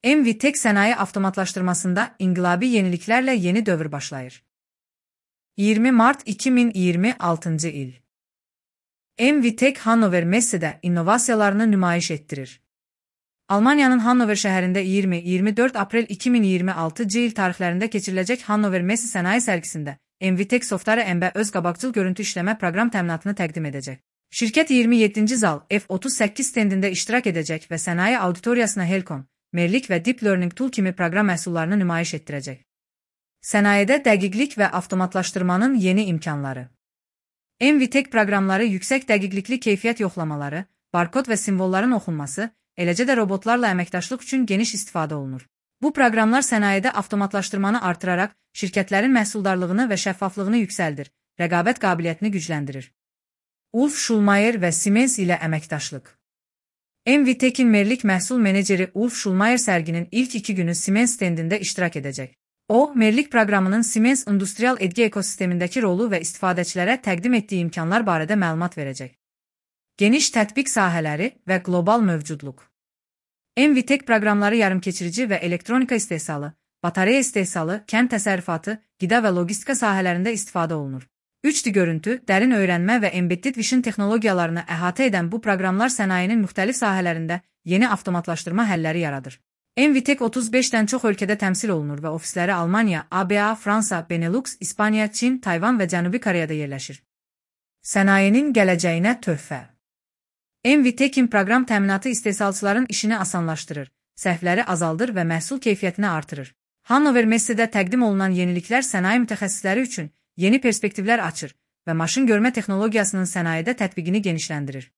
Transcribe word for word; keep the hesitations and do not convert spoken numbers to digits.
Envitek sənaye avtomatlaşdırmasında inqilabi yeniliklərlə yeni dövr başlayır. iyirmi mart iki min iyirmi altıncı il. Envitek Hannover Messe'də innovasiyalarını nümayiş etdirir. Almaniyanın Hannover şəhərində iyirmi iyirmi dörd aprel iki min iyirmi altıncı il tarixlərində keçiriləcək Hannover Messe sənaye sərgisində Envitek Software M B öz qabaqcıl görüntü işləmə proqram təminatını təqdim edəcək. Şirkət iyirmi yeddinci zal F otuz səkkiz stendində iştirak edəcək və sənaye auditoriyasına Helcom, Merlik və Deep Learning Tool kimi proqram məhsullarını nümayiş etdirəcək. Sənayedə dəqiqlik və avtomatlaşdırmanın yeni imkanları. Envitek proqramları yüksək dəqiqlikli keyfiyyət yoxlamaları, barkod və simvolların oxunması, eləcə də robotlarla əməkdaşlıq üçün geniş istifadə olunur. Bu proqramlar sənayedə avtomatlaşdırmanı artıraraq şirkətlərin məhsuldarlığını və şəffaflığını yüksəldir, rəqabət qabiliyyətini gücləndirir. Ulf Schulmeier və Siemens ilə əməkdaşlıq. Envitek'in Merlik məhsul meneceri Ulf Schulmeier sərginin ilk iki günü Siemens stendində iştirak edəcək. O, Merlik proqramının Siemens industrial edgi ekosistemindəki rolu və istifadəçilərə təqdim etdiyi imkanlar barədə məlumat verəcək. Geniş tətbiq sahələri və qlobal mövcudluq. Envitek proqramları yarımkeçirici və elektronika istehsalı, batareya istehsalı, kənd təsərrüfatı, qida və logistika sahələrində istifadə olunur. üç D görüntü, dərin öyrənmə və embedded vision texnologiyalarını əhatə edən bu proqramlar sənayenin müxtəlif sahələrində yeni avtomatlaşdırma həlləri yaradır. Envitek otuz beşdən çox ölkədə təmsil olunur və ofisləri Almaniya, A B A, Fransa, Benelux, İspaniya, Çin, Tayvan və Cənubi Koreyada yerləşir. Sənayenin gələcəyinə töhfə. Envitek'in proqram təminatı istehsalçıların işini asanlaşdırır, səhvləri azaldır və məhsul keyfiyyətini artırır. Hannover Messe'də təqdim olunan yeniliklər sənaye mütəxəssisləri üçün yeni perspektivlər açır və maşın görmə texnologiyasının sənayedə tətbiqini genişləndirir.